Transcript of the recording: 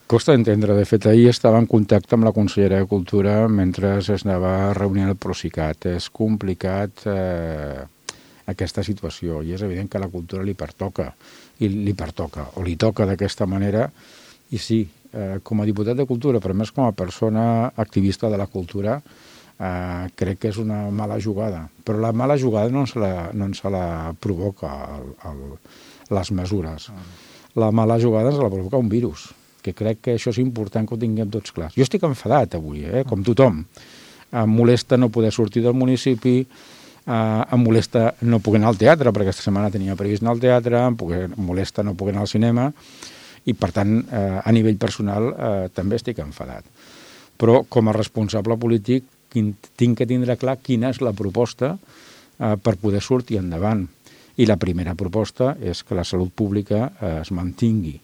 Costa d'entendre. De fet, ahir estava en contacte amb la consellera de Cultura mentre es anava reunint el Procicat. És complicat aquesta situació i és evident que a la cultura li pertoca, o li toca d'aquesta manera. I sí, com a diputat de Cultura, però més com a persona activista de la cultura, crec que és una mala jugada. Però la mala jugada no se la provoca les mesures. La mala jugada se la provoca un virus, que crec que això és important que ho tinguem tots clars. Jo estic enfadat avui, com tothom. Em molesta no poder sortir del municipi, em molesta no poder anar al teatre, perquè aquesta setmana tenia previst anar al teatre, em molesta no poder anar al cinema, i per tant, a nivell personal, també estic enfadat. Però com a responsable polític tinc que tindre clar quina és la proposta per poder sortir endavant. I la primera proposta és que la salut pública es mantingui.